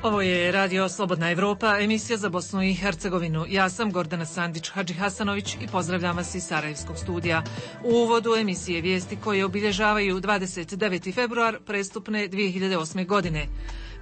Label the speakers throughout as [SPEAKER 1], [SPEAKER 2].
[SPEAKER 1] Ovo je Radio Slobodna Evropa, emisija za Bosnu i Hercegovinu. Ja sam Gordana Sandić Hadžihasanović i pozdravljam vas iz Sarajevskog studija. U uvodu emisije vijesti koje obilježavaju 29. februar prestupne 2008. godine.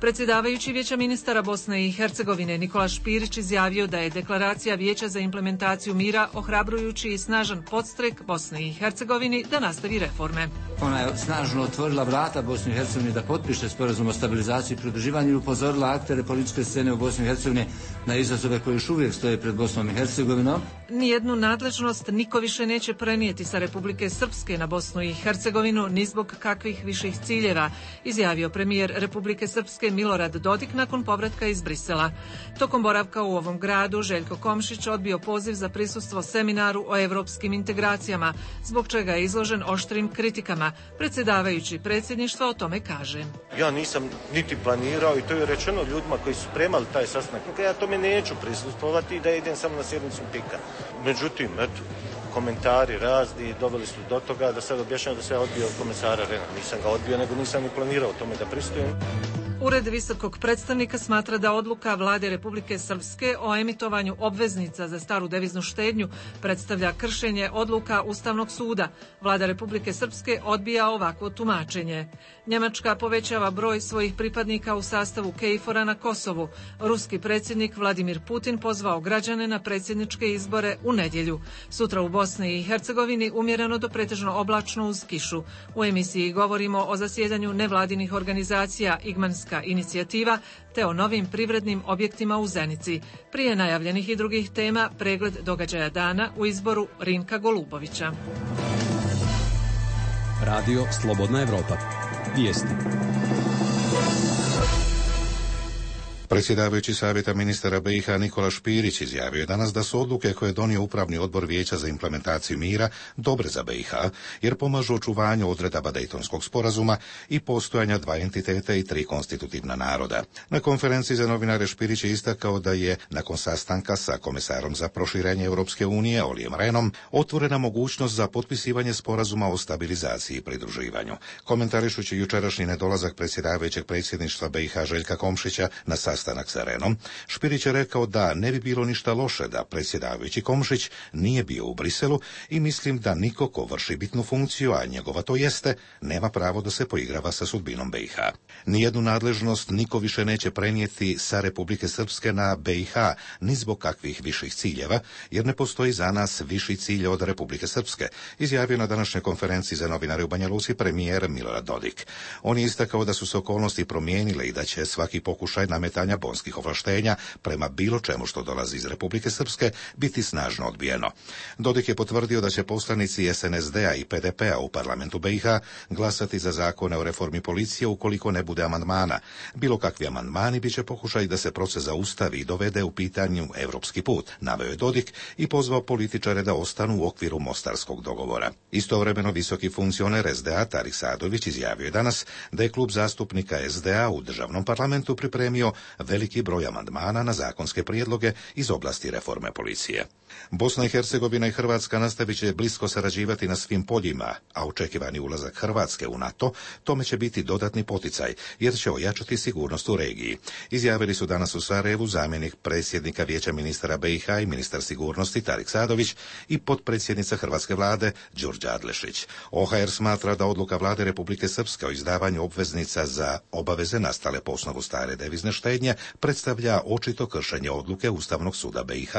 [SPEAKER 1] Predsjedavajući Vijeća ministara Bosne i Hercegovine Nikola Špirić izjavio da je deklaracija Vijeća za implementaciju mira ohrabrujući i snažan podstrek Bosne i Hercegovini da nastavi reforme.
[SPEAKER 2] Ona je snažno otvorila vrata Bosni i Hercegovini da potpiše sporazum o stabilizaciji i pridruživanju i upozorila aktere političke scene u Bosni i Hercegovini na izazove koji još uvijek stoje pred Bosnom i Hercegovinom.
[SPEAKER 1] Nijednu nadležnost niko više neće prenijeti sa Republike Srpske na Bosnu i Hercegovinu ni zbog kakvih viših ciljeva, izjavio premijer Republike Srpske Milorad Dodik nakon povratka iz Brisela. Tokom boravka u ovom gradu Željko Komšić odbio poziv za prisustvo seminaru o evropskim integracijama, zbog čega je izložen oštrim kritikama. Predsjedavajući predsjedništva o tome kaže:
[SPEAKER 3] Ja nisam niti planirao i to je rečeno ljudima koji su spremali taj sastanak. Ja tome neću prisustvovati i da idem samo na sjednicu PIK-a. Međutim, komentari razni doveli su do toga da sad objašnjam da se ja odbio od komesara Rena. Nisam ga odbio, nego nisam ni planirao tome da pristujem.
[SPEAKER 1] Ured visokog predstavnika smatra da odluka Vlade Republike Srpske o emitovanju obveznica za staru deviznu štednju predstavlja kršenje odluka Ustavnog suda. Vlada Republike Srpske odbija ovakvo tumačenje. Njemačka povećava broj svojih pripadnika u sastavu KFOR-a na Kosovu. Ruski predsjednik Vladimir Putin pozvao građane na predsjedničke izbore u nedjelju. Sutra u Bosni i Hercegovini umjereno do pretežno oblačno uz kišu. U emisiji govorimo o zasjedanju nevladinih organizacija Igmanska inicijativa te o novim privrednim objektima u Zenici. Prije najavljenih i drugih tema, pregled događaja dana u izboru Rinka Golubovića.
[SPEAKER 4] Radio Slobodna Evropa. Vijesti.
[SPEAKER 5] Predsjedavajući Savjeta ministara BiH Nikola Špirić izjavio je danas da su odluke koje je donio Upravni odbor Vijeća za implementaciju mira dobre za BiH, jer pomažu očuvanju odredaba Dejtonskog sporazuma i postojanja dva entiteta i tri konstitutivna naroda. Na konferenciji za novinare Špirić je istakao da je, nakon sastanka sa komesarom za proširenje Europske unije Olijem Rehnom, otvorena mogućnost za potpisivanje sporazuma o stabilizaciji i pridruživanju. Komentarišući jučerašnji nedolazak predsjedavajućeg predsjedništva BiH Željka Komšića na sastanak sa Rehnom, Špirić je rekao da ne bi bilo ništa loše da predsjedavajući Komšić nije bio u Briselu i mislim da niko ko vrši bitnu funkciju, a njegova to jeste, nema pravo da se poigrava sa sudbinom BiH. Nijednu nadležnost niko više neće prenijeti sa Republike Srpske na BiH, ni zbog kakvih viših ciljeva, jer ne postoji za nas viši cilj od Republike Srpske, izjavio na današnjoj konferenciji za novinare u Banja Luci premijer Milorad Dodik. On je istakao da su se okolnosti promijenile i da će svaki pokušaj nametanja bonskih ovlaštenja prema bilo čemu što dolazi iz Republike Srpske biti snažno odbijeno. Dodik je potvrdio da će poslanici SNSD-a i PDP-a u parlamentu BiH glasati za zakone o reformi policije ukoliko ne bude amandmana. Bilo kakvi amandmani bit će pokušaj da se proces zaustavi i dovede u pitanju evropski put, naveo je Dodik i pozvao političare da ostanu u okviru Mostarskog dogovora. Istovremeno visoki funkcioner SDA Tarik Sadović izjavio je danas da je klub zastupnika SDA u državnom parlamentu pripremio veliki broj amandmana na zakonske prijedloge iz oblasti reforme policije. Bosna i Hercegovina i Hrvatska nastavit će blisko sarađivati na svim poljima, a očekivani ulazak Hrvatske u NATO tome će biti dodatni poticaj, jer će ojačati sigurnost u regiji. Izjavili su danas u Sarajevu zamjenik predsjednika Vijeća ministara BiH i ministar sigurnosti Tarik Sadović i potpredsjednica hrvatske vlade Đurđa Adlešić. OHR smatra da odluka vlade Republike Srpske o izdavanju obveznica za obaveze nastale po osnovu stare devizne štednje predstavlja očito kršenje odluke Ustavnog suda BiH.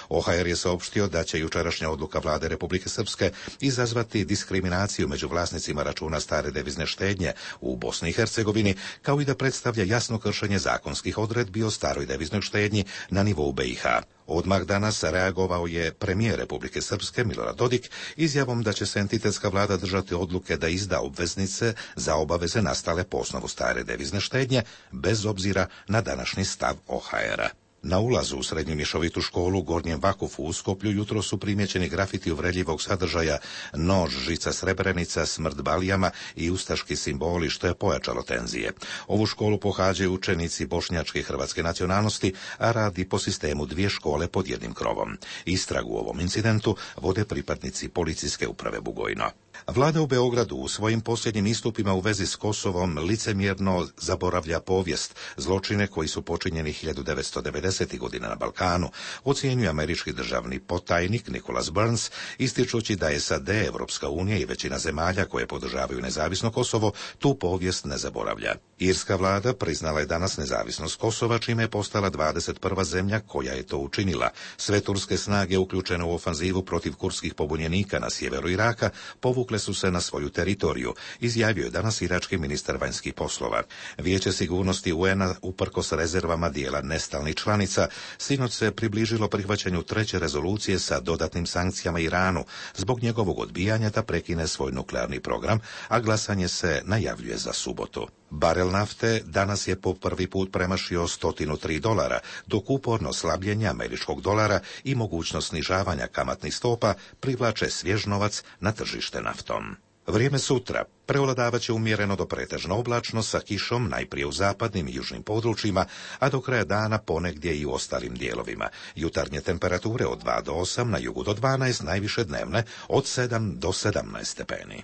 [SPEAKER 5] OHR je saopštio da će jučerašnja odluka vlade Republike Srpske izazvati diskriminaciju među vlasnicima računa stare devizne štednje u Bosni i Hercegovini, kao i da predstavlja jasno kršenje zakonskih odredbi o staroj deviznoj štednji na nivou BiH. Odmah danas reagovao je premijer Republike Srpske Milorad Dodik izjavom da će se entitetska vlada držati odluke da izda obveznice za obaveze nastale po osnovu stare devizne štednje, bez obzira na današnji stav OHR-a. Na ulazu u srednju mješovitu školu u Gornjem Vakufu u Skoplju jutro su primjećeni grafiti uvredljivog sadržaja nož, žica Srebrenica, smrt Balijama i ustaški simboli, što je pojačalo tenzije. Ovu školu pohađaju učenici bošnjačke i hrvatske nacionalnosti, a radi po sistemu dvije škole pod jednim krovom. Istragu u ovom incidentu vode pripadnici policijske uprave Bugojno. Vlada u Beogradu u svojim posljednjim istupima u vezi s Kosovom licemjerno zaboravlja povijest, zločine koji su počinjeni 1990. godina na Balkanu, ocjenjuje američki državni potajnik Nicholas Burns, ističući da SAD, Evropska unija i većina zemalja koje podržavaju nezavisno Kosovo tu povijest ne zaboravlja. Irska vlada priznala je danas nezavisnost Kosova, čime je postala 21. zemlja koja je to učinila. Sve turske snage uključene u ofanzivu protiv kurdskih pobunjenika na sjeveru Iraka povukle su se na svoju teritoriju, izjavio je danas irački ministar vanjskih poslova. Vijeće sigurnosti UN-a uprkos rezervama dijela nestalnih članica sinoć se približilo prihvaćanju 3. rezolucije sa dodatnim sankcijama Iranu zbog njegovog odbijanja da prekine svoj nuklearni program, a glasanje se najavljuje za subotu. Barel nafte danas je po prvi put premašio $103, dok uporno slabljenje američkog dolara i mogućnost snižavanja kamatnih stopa privlače svjež novac na tržište naftom. Vrijeme sutra prevladavat će umjereno do pretežno oblačno sa kišom najprije u zapadnim i južnim područjima, a do kraja dana ponegdje i u ostalim dijelovima. Jutarnje temperature od 2 do 8, na jugu do 12, najviše dnevne od 7 do 17 stepeni.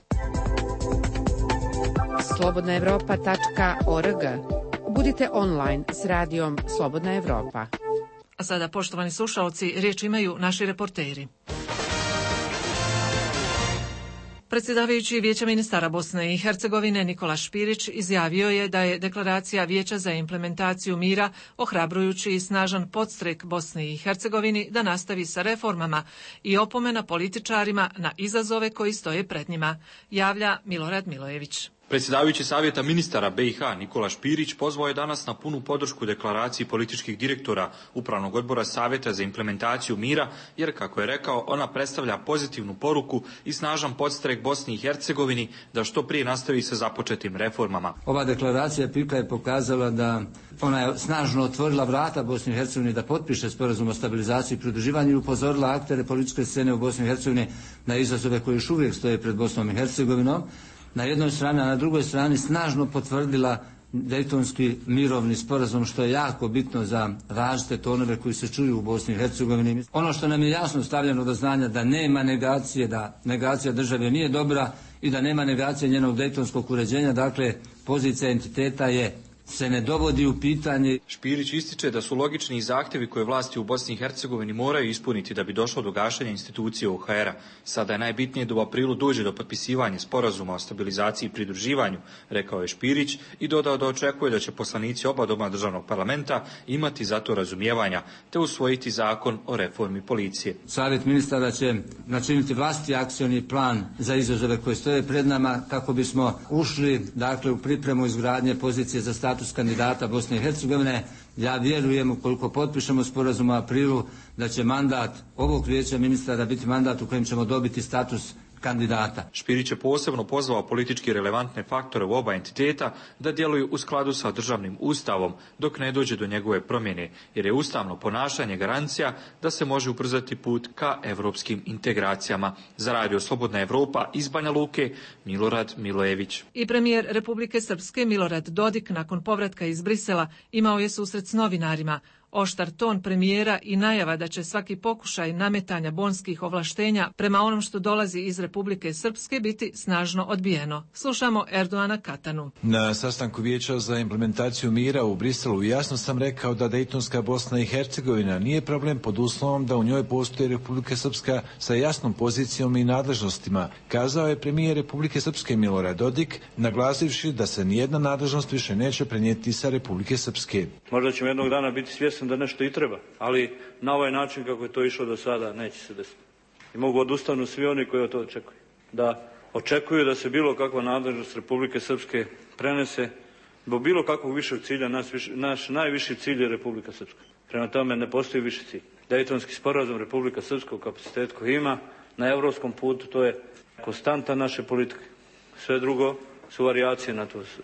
[SPEAKER 6] slobodnaevropa.org. Budite online s radijom Slobodna Evropa.
[SPEAKER 1] A sada, poštovani slušaoci, riječ imaju naši reporteri. Predsjedavajući Vijeća ministara Bosne i Hercegovine Nikola Špirić izjavio je da je deklaracija Vijeća za implementaciju mira ohrabrujući i snažan podstrek Bosni i Hercegovini da nastavi sa reformama i opomena političarima na izazove koji stoje pred njima, javlja Milorad Milojević.
[SPEAKER 7] Predsjedavajući Savjeta ministara BiH Nikola Špirić pozvao je danas na punu podršku deklaraciji političkih direktora Upravnog odbora Savjeta za implementaciju mira, jer, kako je rekao, ona predstavlja pozitivnu poruku i snažan podstrek Bosni i Hercegovini da što prije nastavi sa započetim reformama.
[SPEAKER 2] Ova deklaracija PIK je pokazala da ona je snažno otvorila vrata Bosni i Hercegovini da potpiše sporazum o stabilizaciji i pridruživanju i upozorila aktere političke scene u Bosni i Hercegovini na izazove koji još uvijek stoje pred Bosnom i Hercegovinom. Na jednoj strani, a na drugoj strani snažno potvrdila Dejtonski mirovni sporazum, što je jako bitno za različite tonove koji se čuju u Bosni i Hercegovini. Ono što nam je jasno stavljeno do znanja da nema negacije, da negacija države nije dobra i da nema negacije njenog dejtonskog uređenja, dakle pozicija entiteta se ne dovodi u pitanje.
[SPEAKER 7] Špirić ističe da su logični zahtjevi koje vlasti u Bosni i Hercegovini moraju ispuniti da bi došlo do gašenja institucije OHR-a. Sada je najbitnije da u aprilu dođe do potpisivanja sporazuma o stabilizaciji i pridruživanju, rekao je Špirić, i dodao da očekuje da će poslanici oba doma državnog parlamenta imati za to razumijevanja te usvojiti zakon o reformi policije.
[SPEAKER 2] Savjet ministara će načiniti vlastiti akcioni plan za izazove koje stoje pred nama kako bismo ušli, dakle, u pripremu izgradnje pozicije za status kandidata Bosne i Hercegovine. Ja vjerujem, ukoliko potpišemo sporazum u aprilu, da će mandat ovog vijeća ministara biti mandat u kojem ćemo dobiti status kandidata.
[SPEAKER 7] Špirić je posebno pozvao politički relevantne faktore u oba entiteta da djeluju u skladu sa državnim ustavom dok ne dođe do njegove promjene, jer je ustavno ponašanje garancija da se može ubrzati put ka evropskim integracijama. Za Radio Slobodna Evropa iz Banja Luke, Milorad Milojević.
[SPEAKER 1] I premijer Republike Srpske Milorad Dodik nakon povratka iz Brisela imao je susret s novinarima. Oštar ton premijera i najava da će svaki pokušaj nametanja bonskih ovlaštenja prema onom što dolazi iz Republike Srpske biti snažno odbijeno. Slušamo Erdoana Katanu.
[SPEAKER 8] Na sastanku Vijeća za implementaciju mira u Briselu jasno sam rekao da Dejtonska Bosna i Hercegovina nije problem pod uslovom da u njoj postoji Republika Srpska sa jasnom pozicijom i nadležnostima, kazao je premijer Republike Srpske Milorad Dodik, naglasivši da se nijedna nadležnost više neće prenijeti sa Republike Srpske.
[SPEAKER 9] Možda ćemo jednog dana biti svjesni da nešto i treba, ali na ovaj način kako je to išlo do sada neće se desiti. I mogu odustanu svi oni koji to očekuju. Da očekuju da se bilo kakva nadležnost Republike Srpske prenese do bilo kakvog višeg cilja. Naš najviši cilj je Republika Srpska. Prema tome ne postoji viši cilj. Dejtonski sporazum Republika Srpska u kapacitetu koji ima na evropskom putu, to je konstanta naše politike. Sve drugo su varijacije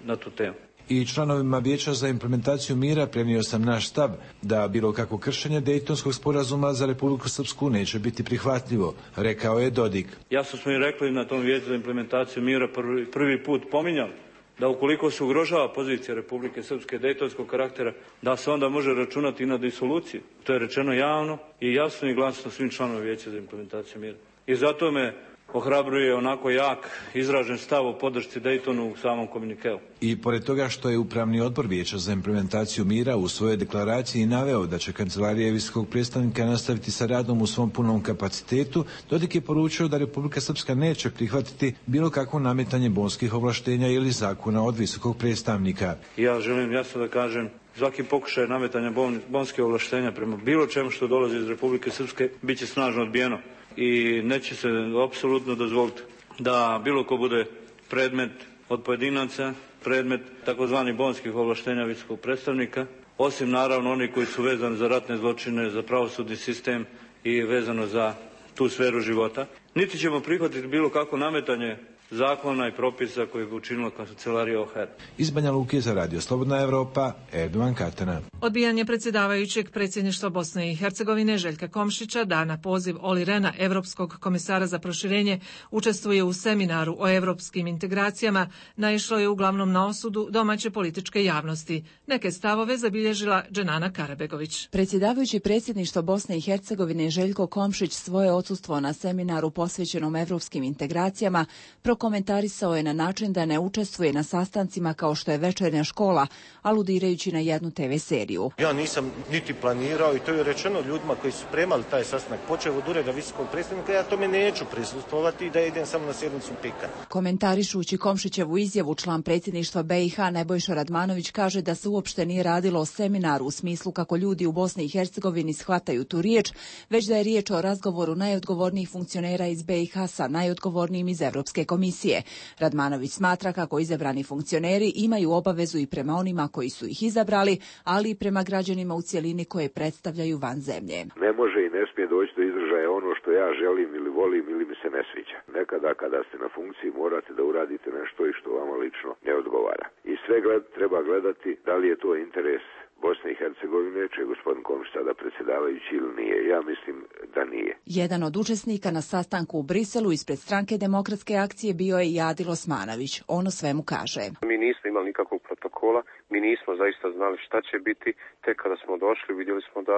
[SPEAKER 9] na tu temu.
[SPEAKER 8] I članovima Vijeća za implementaciju mira prenio sam naš stav da bilo kako kršenje Dejtonskog sporazuma za Republiku Srpsku neće biti prihvatljivo, rekao je Dodik.
[SPEAKER 9] Jasno smo i rekli na tom Vijeću za implementaciju mira prvi put pominjali da ukoliko se ugrožava pozicija Republike Srpske dejtonskog karaktera, da se onda može računati i na disoluciju. To je rečeno javno i jasno i glasno svim članovima Vijeća za implementaciju mira. I zato me ohrabruje onako jak izražen stav o podršci Daytonu u samom komunikeu.
[SPEAKER 8] I pored toga što je Upravni odbor Vijeća za implementaciju mira u svojoj deklaraciji naveo da će Kancelarija visokog predstavnika nastaviti sa radom u svom punom kapacitetu, Dodik je poručio da Republika Srpska neće prihvatiti bilo kakvo nametanje bonskih ovlaštenja ili zakona od visokog predstavnika.
[SPEAKER 9] Ja želim jasno da kažem, svaki pokušaj nametanja bonskih ovlaštenja prema bilo čemu što dolazi iz Republike Srpske bit će snažno odbijeno. I neće se apsolutno dozvoliti da bilo ko bude predmet od pojedinaca, predmet takozvanih bonskih ovlaštenja visokog predstavnika, osim naravno oni koji su vezani za ratne zločine, za pravosudni sistem i vezano za tu sferu života. Niti ćemo prihvatiti bilo kako nametanje zakona i propisa koji bi učinila Kancelarija OHR.
[SPEAKER 8] Iz Banja Luke za Radio Slobodna Evropa, Erdovan Katana.
[SPEAKER 1] Odbijanje predsjedavajućeg predsjedništva Bosne i Hercegovine Željka Komšića da na poziv Olli Rehna, Evropskog komisara za proširenje, učestvuje u seminaru o evropskim integracijama, naišlo je uglavnom na osudu domaće političke javnosti. Neke stavove zabilježila Dženana Karabegović.
[SPEAKER 10] Predsjedavajući predsjedništva Bosne i Hercegovine Željko Komšić svoje odsustvo na seminaru posvećenom evropskim integracijama prokomentarisao je na način da ne učestvuje na sastancima kao što je večernja škola, aludirajući na jednu TV seriju.
[SPEAKER 3] Ja nisam niti planirao i to je rečeno ljudima koji su spremali taj sastanak, počeo od ureda visokog predstavnika, ja tome neću prisustvovati i da idem samo na sjednicu PIK-a.
[SPEAKER 10] Komentarišući Komšićevu izjavu, član predsjedništva BiH Nebojša Radmanović kaže da se uopšte nije radilo o seminaru u smislu kako ljudi u Bosni i Hercegovini shvataju tu riječ, već da je riječ o razgovoru najodgovornijih funkcionera iz BiH sa najodgovornijim iz Evropske komisije. Radmanović smatra kako izabrani funkcioneri imaju obavezu i prema onima koji su ih izabrali, ali i prema građanima u cjelini koje predstavljaju van zemlje.
[SPEAKER 11] Ne može i ne smije doći do izražaja ono što ja želim ili volim ili mi se ne sviđa. Nekada kada ste na funkciji morate da uradite nešto i što vama lično ne odgovara. I sve treba gledati da li je to interes Bosne i Hercegovine, će gospodin Komšić sada predsjedavajući ili nije. Ja mislim da nije.
[SPEAKER 10] Jedan od učesnika na sastanku u Briselu ispred Stranke demokratske akcije bio je i Adil Osmanović. On o svemu kaže.
[SPEAKER 12] Mi nismo imali nikakvog protokola, mi nismo zaista znali šta će biti. Tek kada smo došli vidjeli smo da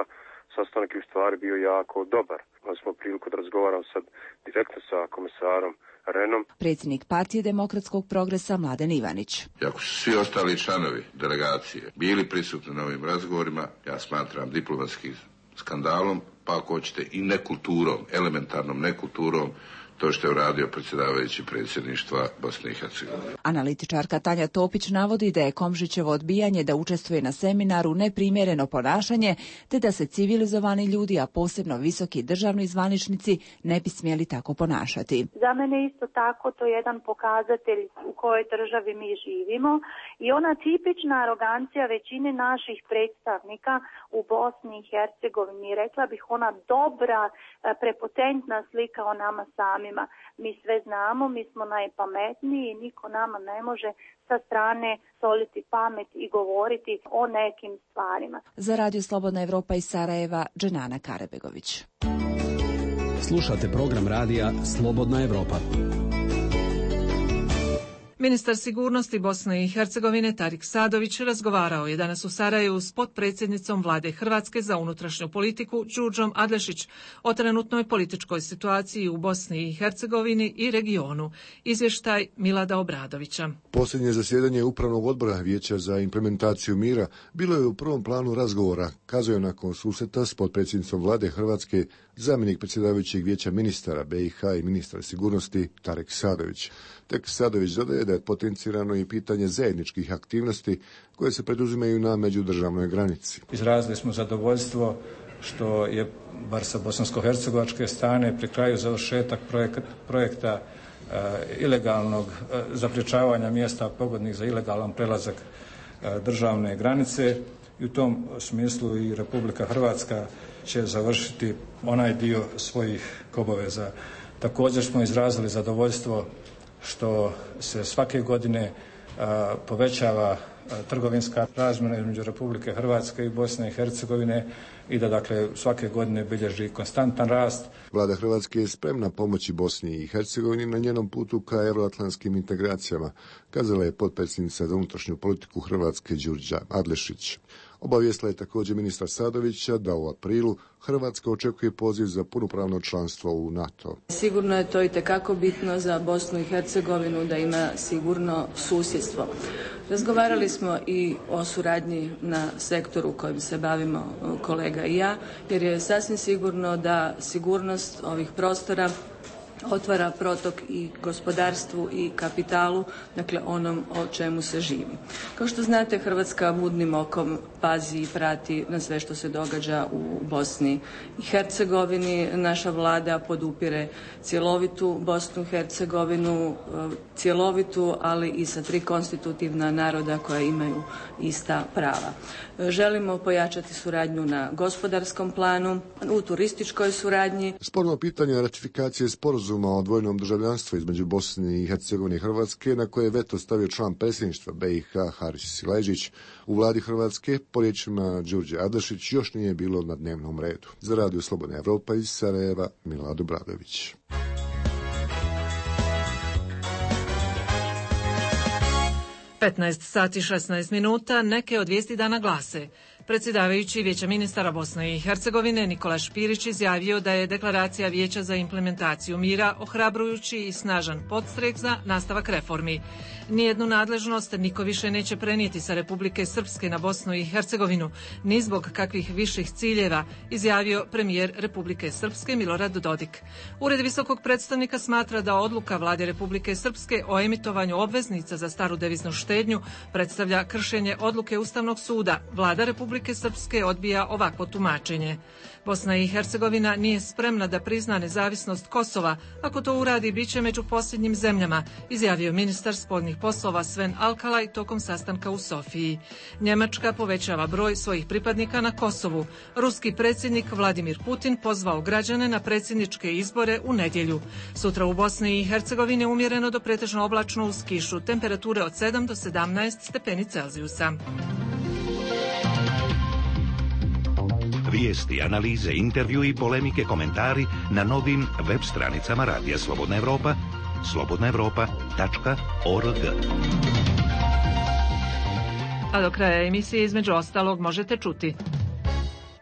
[SPEAKER 12] sastanak u stvari bio jako dobar. Imali smo priliku da razgovaram sad direktno sa komisarom Rehnom.
[SPEAKER 10] Predsjednik partije Demokratskog progresa Mladen Ivanić.
[SPEAKER 13] Ako su svi ostali članovi delegacije bili prisutni na ovim razgovorima, ja smatram diplomatskim skandalom, pa ako hoćete i nekulturom, elementarnom nekulturom, to što je uradio predsjedavajući predsjedništva Bosne i Hercegovine.
[SPEAKER 10] Analitičarka Tanja Topić navodi da je Komšićevo odbijanje da učestvuje na seminaru neprimjereno ponašanje, te da se civilizovani ljudi, a posebno visoki državni zvaničnici, ne bi smjeli tako ponašati.
[SPEAKER 14] Za mene isto tako to je jedan pokazatelj u kojoj državi mi živimo i ona tipična arogancija većine naših predstavnika u Bosni i Hercegovini, rekla bih ona dobra, prepotentna slika o nama sami. Mi sve znamo, mi smo najpametniji i niko nama ne može sa strane soliti pamet i govoriti o nekim stvarima.
[SPEAKER 10] Za Radio Slobodna Evropa iz Sarajeva, Dženana Karabegović.
[SPEAKER 4] Slušate program radija Slobodna Evropa.
[SPEAKER 1] Ministar sigurnosti Bosne i Hercegovine Tarik Sadović razgovarao je danas u Sarajevu s potpredsjednicom Vlade Hrvatske za unutrašnju politiku Đurđom Adlešić o trenutnoj političkoj situaciji u Bosni i Hercegovini i regionu. Izvještaj Milada Obradovića.
[SPEAKER 15] Posljednje zasjedanje Upravnog odbora Vijeća za implementaciju mira bilo je u prvom planu razgovora, kazao nakon susreta s potpredsjednicom Vlade Hrvatske zamjenik predsjedavajućeg Vijeća ministara BiH i ministar sigurnosti Tarik Sadović. Tek Sadović dodaje da je potencirano i pitanje zajedničkih aktivnosti koje se preduzimaju na međudržavnoj granici.
[SPEAKER 16] Izrazili smo zadovoljstvo što je, bar sa bosansko-hercegovačke strane, pri kraju završetak projekta ilegalnog zapriječavanja mjesta pogodnih za ilegalan prelazak državne granice i u tom smislu i Republika Hrvatska će završiti onaj dio svojih obaveza. Također smo izrazili zadovoljstvo što se svake godine povećava trgovinska razmjena između Republike Hrvatske i Bosne i Hercegovine i da dakle svake godine bilježi konstantan rast.
[SPEAKER 15] Vlada Hrvatske je spremna pomoći Bosni i Hercegovini na njenom putu ka euroatlantskim integracijama, kazala je potpredsjednica za unutrašnju politiku Hrvatske Đurđa Adlešić. Obavijestila je također ministar Sadovića da u aprilu Hrvatska očekuje poziv za punopravno članstvo u NATO.
[SPEAKER 17] Sigurno je to itekako bitno za Bosnu i Hercegovinu da ima sigurno susjedstvo. Razgovarali smo i o suradnji na sektoru kojim se bavimo kolega i ja, jer je sasvim sigurno da sigurnost ovih prostora otvara protok i gospodarstvu i kapitalu, dakle onom o čemu se živi. Kao što znate, Hrvatska budnim okom pazi i prati na sve što se događa u Bosni i Hercegovini. Naša vlada podupire cjelovitu Bosnu i Hercegovinu, cjelovitu, ali i sa 3 konstitutivna naroda koja imaju ista prava. Želimo pojačati suradnju na gospodarskom planu, u turističkoj suradnji.
[SPEAKER 15] Sporno pitanje ratifikacije sporazuma o dvojnom državljanstvu između Bosne i Hercegovine i Hrvatske, na koje je veto stavio član predsjedništva BiH Haris Silajdžić, u vladi Hrvatske, po riječima Đurđe Adlešić, još nije bilo na dnevnom redu. Za Radio Slobodna Evropa iz Sarajeva, Milad Obradović.
[SPEAKER 1] 15 sati 16 minuta, neke od vijesti dana glase. Predsjedavajući Vijeća ministara Bosne i Hercegovine Nikola Špirić izjavio da je deklaracija Vijeća za implementaciju mira ohrabrujući i snažan podstrek za nastavak reformi. Nijednu nadležnost niko više neće prenijeti sa Republike Srpske na Bosnu i Hercegovinu, ni zbog kakvih viših ciljeva, izjavio premijer Republike Srpske Milorad Dodik. Ured visokog predstavnika smatra da odluka vlade Republike Srpske o emitovanju obveznica za staru deviznu štednju predstavlja kršenje odluke Ustavnog suda. Vlada Republike Srpske odbija ovakvo tumačenje. Bosna i Hercegovina nije spremna da prizna nezavisnost Kosova. Ako to uradi, bit će među posljednjim zemljama, izjavio ministar spoljnih poslova Sven Alkalaj tokom sastanka u Sofiji. Njemačka povećava broj svojih pripadnika na Kosovu. Ruski predsjednik Vladimir Putin pozvao građane na predsjedničke izbore u nedjelju. Sutra u Bosni i Hercegovini umjereno do pretežno oblačno uz kišu, temperature od 7 do 17 stepeni Celzijusa.
[SPEAKER 18] Vijesti, analize, intervju i polemike, komentari na novim web stranicama Radija Slobodna Evropa, slobodnaevropa.org.
[SPEAKER 1] A do kraja emisije između ostalog možete čuti: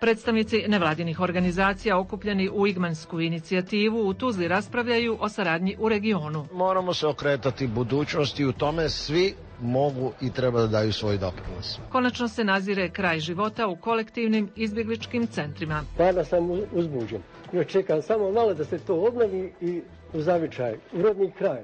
[SPEAKER 1] predstavnici nevladinih organizacija okupljeni u Igmansku inicijativu u Tuzli raspravljaju o saradnji u regionu.
[SPEAKER 19] Moramo se okretati budućnosti i u tome svi mogu i treba da daju svoj doprinos.
[SPEAKER 1] Konačno se nazire kraj života u kolektivnim izbjegličkim centrima.
[SPEAKER 20] Stvarno sam uzbuđen. Još čekam samo malo da se to obnovi i u zavičaj, u rodni kraj.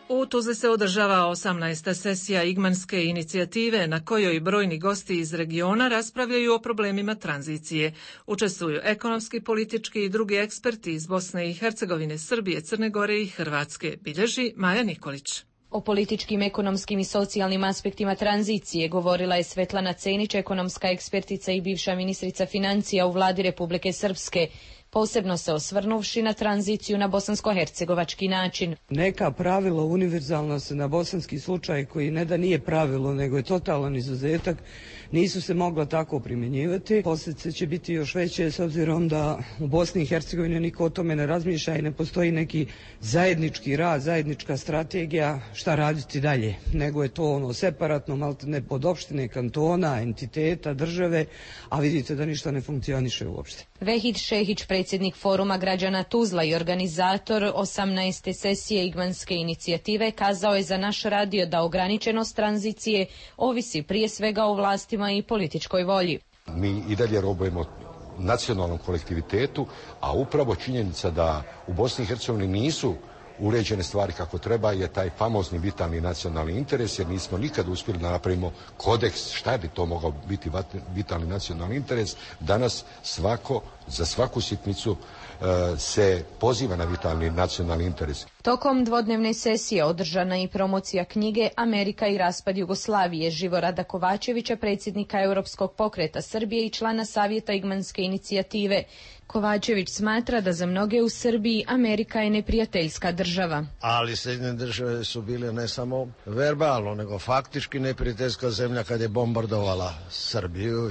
[SPEAKER 1] U Tuzli se održava 18. sesija Igmanske inicijative na kojoj brojni gosti iz regiona raspravljaju o problemima tranzicije. Učestvuju ekonomski, politički i drugi eksperti iz Bosne i Hercegovine, Srbije, Crne Gore i Hrvatske, bilježi Maja Nikolić.
[SPEAKER 21] O političkim, ekonomskim i socijalnim aspektima tranzicije govorila je Svetlana Cenić, ekonomska ekspertica i bivša ministrica financija u vladi Republike Srpske, posebno se osvrnuvši na tranziciju na bosansko-hercegovački način.
[SPEAKER 22] Neka pravila univerzalna se na bosanski slučaj, koji ne da nije pravilo, nego je totalan izuzetak, nisu se mogla tako primjenjivati. Posljedice će biti još veće s obzirom da u Bosni i Hercegovini niko o tome ne razmišlja i ne postoji neki zajednički rad, zajednička strategija šta raditi dalje, nego je to separatno, maltene pod opštine, kantona, entiteta, države, a vidite da ništa ne funkcioniše uopšte.
[SPEAKER 21] Vehid Šehić, predsjednik Foruma građana Tuzla i organizator 18. sesije Igmanske inicijative, kazao je za naš radio da ograničenost tranzicije ovisi prije svega o vlastima i političkoj volji.
[SPEAKER 23] Mi i dalje robujemo nacionalnom kolektivitetu, a upravo činjenica da u Bosni i Hercegovini nisu uređene stvari kako treba je taj famozni vitalni nacionalni interes, jer nismo nikad uspjeli da napravimo kodeks šta bi to mogao biti vitalni nacionalni interes. Danas za svaku sitnicu se poziva na vitalni nacionalni interes.
[SPEAKER 21] Tokom dvodnevne sesije održana i promocija knjige Amerika i raspad Jugoslavije Živorada Kovačevića, predsjednika Europskog pokreta Srbije i člana Savjeta Igmanske inicijative. Kovačević smatra da za mnoge u Srbiji Amerika je neprijateljska država.
[SPEAKER 19] Ali Sjedinjene države su bile ne samo verbalno, nego faktički neprijateljska zemlja kad je bombardovala Srbiju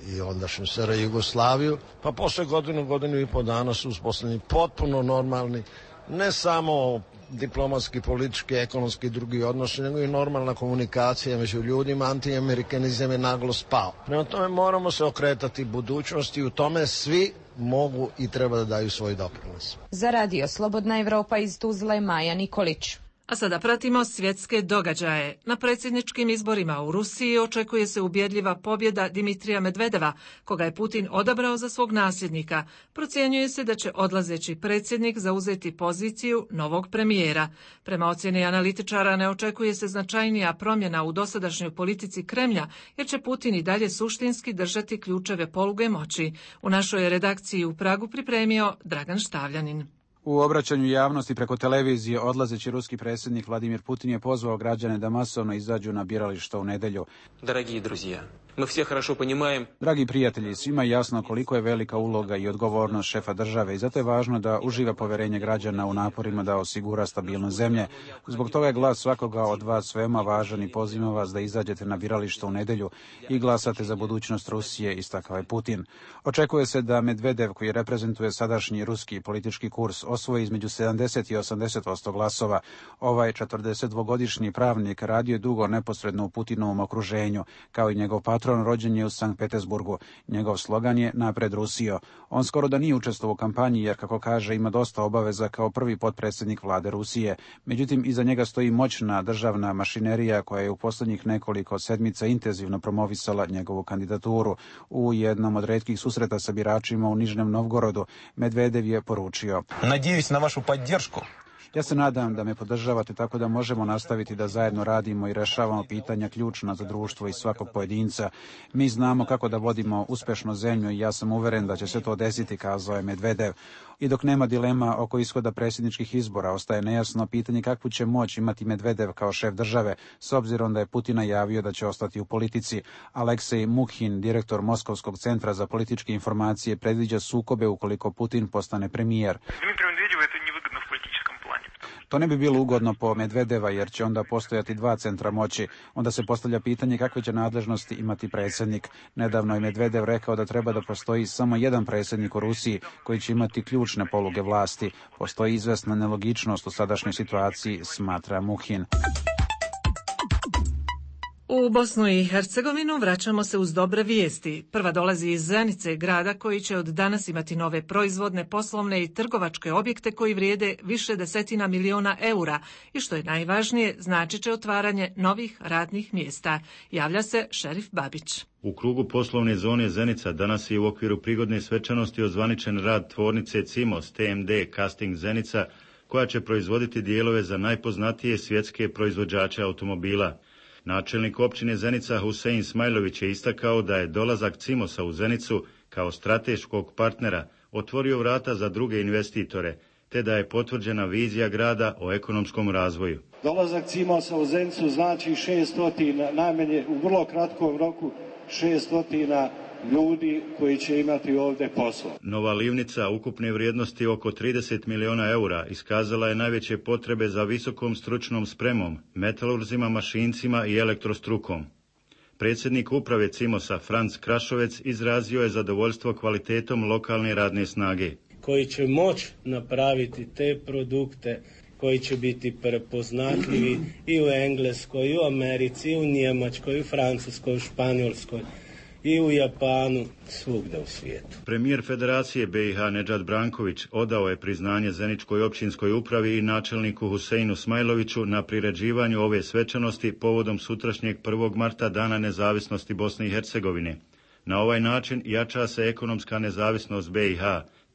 [SPEAKER 19] i ondašnju SR Jugoslaviju. Pa posle godinu i po dana su uspostavljeni potpuno normalni, ne samo diplomatski, politički, ekonomski i drugi odnosi, nego i normalna komunikacija među ljudima. Antiamerikanizam je naglo spao. Prema tome moramo se okretati budućnosti i u tome svi mogu i treba da daju svoj doprinos.
[SPEAKER 21] Za Radio Slobodna Evropa iz Tuzle, Maja Nikolić.
[SPEAKER 1] A sada pratimo svjetske događaje. Na predsjedničkim izborima u Rusiji očekuje se ubjedljiva pobjeda Dimitrija Medvedeva, koga je Putin odabrao za svog nasljednika. Procjenjuje se da će odlazeći predsjednik zauzeti poziciju novog premijera. Prema ocjeni analitičara ne očekuje se značajnija promjena u dosadašnjoj politici Kremlja, jer će Putin i dalje suštinski držati ključeve poluge moći. U našoj redakciji u Pragu pripremio Dragan Štavljanin.
[SPEAKER 2] U obraćanju javnosti preko televizije odlazeći ruski predsjednik Vladimir Putin je pozvao građane da masovno izađu na birališta u nedjelju. Dragi prijatelji, svima je jasno koliko je velika uloga i odgovornost šefa države i zato je važno da uživa povjerenje građana u naporima da osigura stabilnost zemlje. Zbog toga je glas svakoga od vas veoma važan i pozivam vas da izađete na birališta u nedjelju i glasate za budućnost Rusije, istakao je Putin. Očekuje se da Medvedev, koji reprezentuje sadašnji ruski politički kurs, osvoji između 70 i 80% glasova. Ovaj 42-godišnji pravnik radio je dugo neposredno u Putinovom okruženju, kao i njegov patron rođen je u Sankt Petersburgu. Njegov slogan je Napred Rusijo. On skoro da nije učestvovao u kampanji jer, kako kaže, ima dosta obaveza kao prvi potpredsjednik vlade Rusije. Međutim, iza njega stoji moćna državna mašinerija koja je u posljednjih nekoliko sedmica intenzivno promovisala njegovu kandidaturu. U jednom od retkih susreta sa biračima u Nižnem Novgorodu Medvedev je poručio:
[SPEAKER 5] Nadjević na vašu podršku.
[SPEAKER 2] Ja se nadam da me podržavate tako da možemo nastaviti da zajedno radimo i rešavamo pitanja ključna za društvo i svakog pojedinca. Mi znamo kako da vodimo uspešnu zemlju i ja sam uveren da će se to desiti, kazao je Medvedev. I dok nema dilema oko ishoda predsjedničkih izbora, ostaje nejasno pitanje kakvu će moć imati Medvedev kao šef države, s obzirom da je Putin najavio da će ostati u politici. Aleksej Mukhin, direktor Moskovskog centra za političke informacije, predviđa sukobe ukoliko Putin postane premijer. To ne bi bilo ugodno po Medvedeva jer će onda postojati dva centra moći. Onda se postavlja pitanje kakve će nadležnosti imati predsjednik. Nedavno je Medvedev rekao da treba da postoji samo jedan predsjednik u Rusiji koji će imati ključne poluge vlasti. Postoji izvesna nelogičnost u sadašnjoj situaciji, smatra Mukhin.
[SPEAKER 1] U Bosnu i Hercegovinu vraćamo se uz dobre vijesti. Prva dolazi iz Zenice, grada koji će od danas imati nove proizvodne, poslovne i trgovačke objekte koji vrijede više desetina miliona eura i što je najvažnije, znači će otvaranje novih radnih mjesta. Javlja se Šerif Babić.
[SPEAKER 6] U krugu poslovne zone Zenica danas je u okviru prigodne svečanosti ozvaničen rad tvornice CIMOS TMD Casting Zenica, koja će proizvoditi dijelove za najpoznatije svjetske proizvođače automobila. Načelnik općine Zenica Husein Smajlović je istakao da je dolazak CIMOS-a u Zenicu kao strateškog partnera otvorio vrata za druge investitore, te da je potvrđena vizija grada o ekonomskom razvoju.
[SPEAKER 24] Dolazak CIMOS-a u Zenicu znači 600, najmanje u vrlo kratkom roku 600 ljudi koji će imati ovdje posao.
[SPEAKER 6] Nova livnica ukupne vrijednosti oko 30 miliona eura iskazala je najveće potrebe za visokom stručnom spremom, metalurzima, mašincima i elektrostrukom. Predsjednik uprave CIMOS-a Franc Krašovec izrazio je zadovoljstvo kvalitetom lokalne radne snage.
[SPEAKER 25] Koji će moći napraviti te produkte koji će biti prepoznatljivi i u Engleskoj, i u Americi, i u Njemačkoj, i u Francuskoj, i u Španjolskoj, i u Japanu, svugdje u svijetu.
[SPEAKER 6] Premijer Federacije BiH Nedžad Branković odao je priznanje Zeničkoj općinskoj upravi i načelniku Huseinu Smajloviću na priređivanju ove svečanosti povodom sutrašnjeg 1. marta Dana nezavisnosti Bosne i Hercegovine. Na ovaj način jača se ekonomska nezavisnost BiH,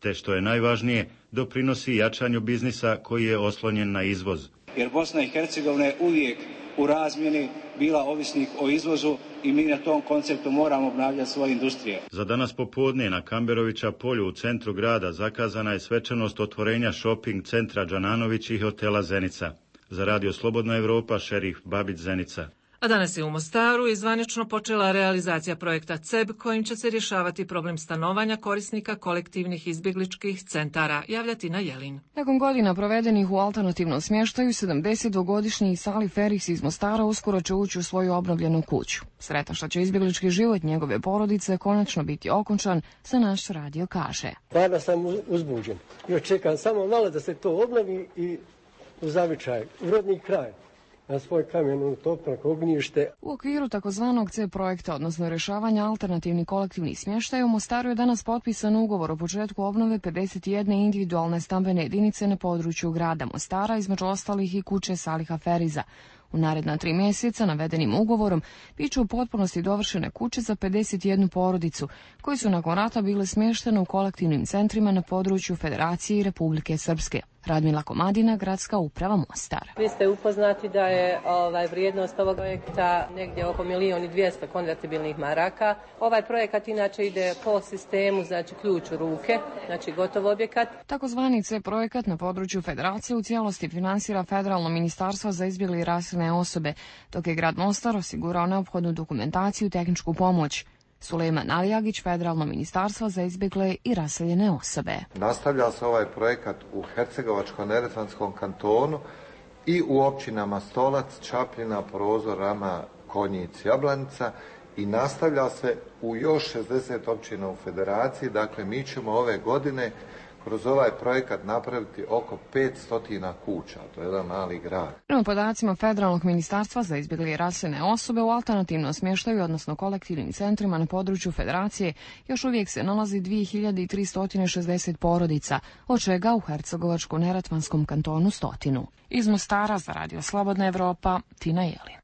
[SPEAKER 6] te što je najvažnije, doprinosi jačanju biznisa koji je oslonjen na izvoz.
[SPEAKER 24] Jer Bosna i Hercegovina je uvijek u razmjeni bila ovisnik o izvozu i mi na tom konceptu moramo obnavljati svoje industrije.
[SPEAKER 6] Za danas popodne na Kamberovića polju u centru grada zakazana je svečanost otvorenja shopping centra Džananović i hotela Zenica. Za Radio Slobodna Evropa, Šerif Babić, Zenica.
[SPEAKER 1] A danas je u Mostaru izvanično počela realizacija projekta CEB kojim će se rješavati problem stanovanja korisnika kolektivnih izbjegličkih centara. Javljati na Jelin.
[SPEAKER 26] Nakon godina provedenih u alternativnom smještaju, 72-godišnji Sali Feris iz Mostara uskoro će ući u svoju obnovljenu kuću. Sretan što će izbjeglički život njegove porodice konačno biti okončan, za naš radio kaže.
[SPEAKER 20] Stvarno sam uzbuđen. Još čekam samo malo da se to obnovi i u zavičaj, u rodni kraj, na svoj kamen utopnog ognjište.
[SPEAKER 26] U okviru takozvanog C projekta, odnosno rješavanja alternativnih kolektivnih smještaja, u Mostaru je danas potpisan ugovor o početku obnove 51 individualne stambene jedinice na području grada Mostara, između ostalih i kuće Saliha Feriza. U naredna 3 mjeseca navedenim ugovorom biće u potpunosti dovršene kuće za 51 porodicu, koji su nakon rata bile smještene u kolektivnim centrima na području Federacije i Republike Srpske. Radmila Komadina, Gradska uprava Mostar.
[SPEAKER 3] Vi ste upoznati da je vrijednost ovog projekta negdje oko 1.200.000 konvertibilnih maraka. Ovaj projekat inače ide po sistemu, znači ključ u ruke, znači gotov objekat.
[SPEAKER 26] Takozvani C projekat na području Federacije u cijelosti finansira Federalno ministarstvo za izbjegle i raseljene osobe, dok je grad Mostar osigurao neophodnu dokumentaciju i tehničku pomoć. Sulejman Alijagić, Federalno ministarstvo za izbjegle i raseljene osobe.
[SPEAKER 7] Nastavlja se ovaj projekat u Hercegovačko-neretvanskom kantonu i u općinama Stolac, Čapljina, Prozor, Rama, Konjic, Jablanica i nastavlja se u još 60 općina u Federaciji. Dakle, mi ćemo ove godine kroz ovaj projekat napraviti oko 500 kuća, to je jedan mali grad.
[SPEAKER 26] Prema podacima Federalnog ministarstva za izbjegle i raseljene osobe u alternativnom smještaju, odnosno kolektivnim centrima na području Federacije, još uvijek se nalazi 2360 porodica, od čega u Hercegovačko-neretvanskom kantonu 100. Iz Mostara za Radio Slobodna Evropa, Tina Jelin.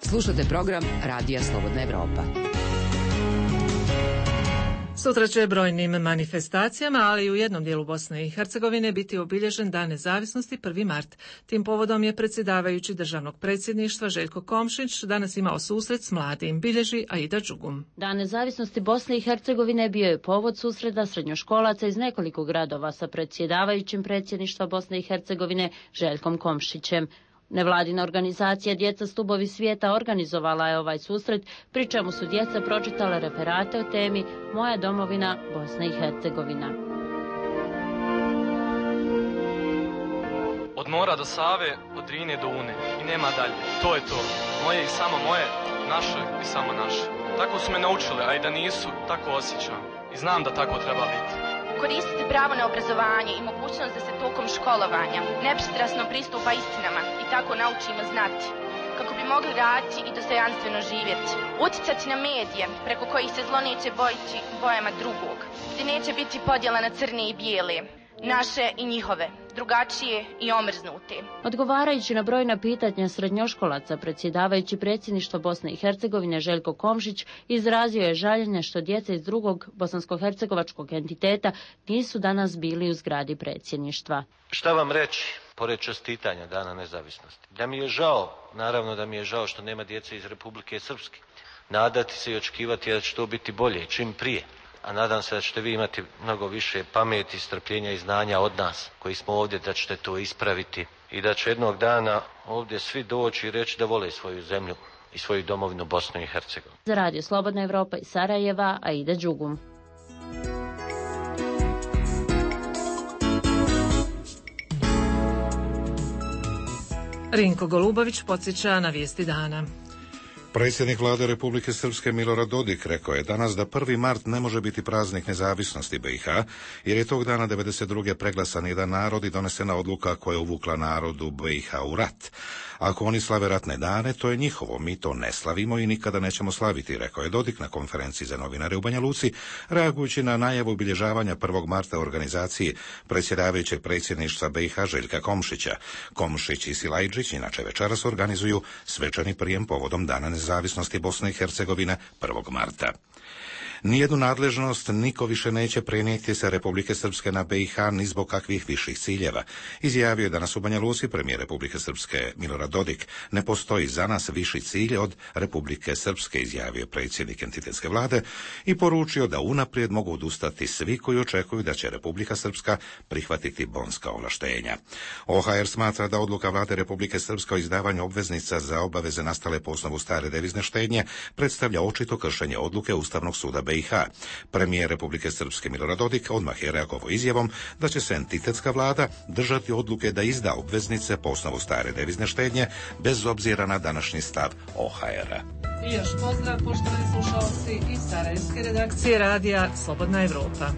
[SPEAKER 8] Slušate program Radija Slobodna Evropa.
[SPEAKER 1] Sutra će brojnim manifestacijama, ali i u jednom dijelu Bosne i Hercegovine biti obilježen Dan nezavisnosti 1. mart. Tim povodom je predsjedavajući državnog predsjedništva Željko Komšić danas imao susret s mladim, bilježi Aida Đugum.
[SPEAKER 9] Dan nezavisnosti Bosne i Hercegovine bio je povod susreta srednjoškolaca iz nekoliko gradova sa predsjedavajućim predsjedništva Bosne i Hercegovine Željkom Komšićem. Nevladina organizacija Djeca stubovi svijeta organizovala je ovaj susret, pri čemu su djeca pročitale referate o temi Moja domovina, Bosna i Hercegovina.
[SPEAKER 11] Od mora do Save, od Drine do Une i nema dalje. To je to. Moje i samo moje, naše i samo naše. Tako su me naučile, a i da nisu, tako osjećam. I znam da tako treba biti.
[SPEAKER 12] Koristiti pravo na obrazovanje i mogućnost da se tokom školovanja nepristrasno pristupa istinama i tako naučimo znati, kako bi mogli raditi i dostojanstveno živjeti. Uticati na medije, preko kojih se zlo neće bojiti bojama drugog, gdje neće biti podjela na crne i bijele, naše i njihove, drugačije i omrznute.
[SPEAKER 9] Odgovarajući na brojna pitanja srednjoškolaca, predsjedavajući predsjedništva Bosne i Hercegovine Željko Komšić izrazio je žaljenje što djeca iz drugog bosansko-hercegovačkog entiteta nisu danas bili u zgradi predsjedništva.
[SPEAKER 27] Šta vam reći, pored čestitanja Dana nezavisnosti? Da mi je žao, naravno da mi je žao što nema djece iz Republike Srpske. Nadati se i očekivati da će to biti bolje čim prije. A nadam se da ćete vi imati mnogo više pameti, strpljenja i znanja od nas koji smo ovdje, da ćete to ispraviti i da će jednog dana ovdje svi doći i reći da vole svoju zemlju i svoju domovinu Bosnu i Hercegovinu.
[SPEAKER 9] Za Radio Slobodna Evropa iz Sarajeva, Aida Đugum.
[SPEAKER 1] Rinko Golubović podsjeća na vijesti dana.
[SPEAKER 28] Predsjednik vlade Republike Srpske Milorad Dodik rekao je danas da 1. mart ne može biti praznik nezavisnosti BiH, jer je tog dana 1992. preglasan jedan narod i donesena odluka koja je uvukla narodu BiH u rat. Ako oni slave ratne dane, to je njihovo, mi to ne slavimo i nikada nećemo slaviti, rekao je Dodik na konferenciji za novinare u Banja Luci, reagujući na najavu obilježavanja 1. marta organizaciji predsjedavajućeg predsjedništva BiH Željka Komšića. Komšić i Silajđić inače večeras organizuju svečani prijem povodom Dana nezavisnosti Bosne i Hercegovine 1. marta. Nijednu nadležnost niko više neće prenijeti sa Republike Srpske na BiH ni zbog kakvih viših ciljeva. Izjavio je danas u Banja Luci premijer Republike Srpske Milorad Dodik. Ne postoji za nas viši cilj od Republike Srpske, izjavio predsjednik entitetske vlade i poručio da unaprijed mogu odustati svi koji očekuju da će Republika Srpska prihvatiti bonska ovlaštenja. OHR smatra da odluka vlade Republike Srpske o izdavanju obveznica za obaveze nastale po osnovu stare devizne štednje predstavlja očito kršenje odluke Ustavnog suda BiH. Premijer Republike Srpske Milorad Dodik odmah je reagovao izjavom da će se entitetska vlada držati odluke da izda obveznice po osnovu stare devizne štednje bez obzira na današnji stav OHR-a.
[SPEAKER 1] I još pozdrav poštovani slušalci iz sarajevske redakcije radija Slobodna Evropa.